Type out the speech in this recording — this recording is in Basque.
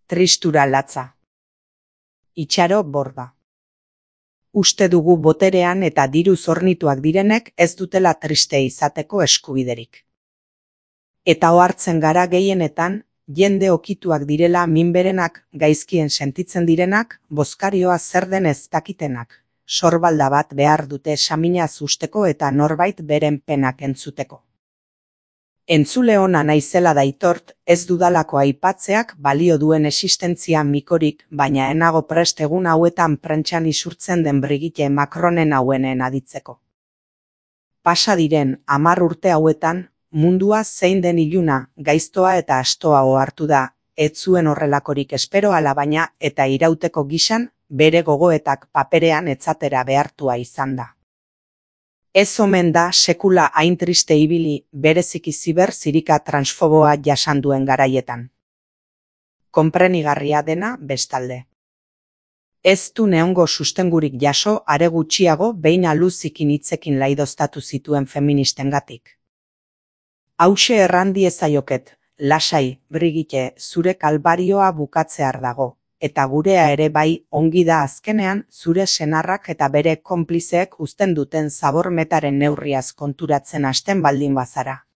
Tristura latza. Itxaro borda. Uste dugu boterean eta diru zornituak direnek ez dutela triste izateko eskubiderik. Eta ohartzen gara gehienetan, jende okituak direla minberenak, gaizkien sentitzen direnak, bozkarioa zer den ez dakitenak, sorbalda bat behar dute saminaz usteko eta norbait beren penak entzuteko. Entzule ona naizela daitort, ez dudalako aipatzeak balio duen existentzia mikorik, baina enago prest egun hauetan prentsan isurtzen den Brigitte Macronen hauenen aditzeko. Pasa diren 10 urte hauetan, mundua zein den iluna, gaiztoa eta astoa ohartu da, ez zuen horrelakorik espero alabaina eta irauteko gisan, bere gogoetak paperean etzatera behartua izan da. Ez omen da sekula hain triste ibili bereziki ziber zirika transfoboa jasan duen garaietan. Konprenigarria dena bestalde. Ez du neongo sustengurik jaso are gutxiago behin aluzikin hitzekin laidoztatu zituen feministengatik. Hauxe erran diezaioket, lasai, Brigitte, zure kalbarioa bukatzear dago, eta gurea ere bai ongi da azkenean zure senarrak eta bere konplizeek uzten duten zabormetaren neurriaz konturatzen hasten baldin bazara.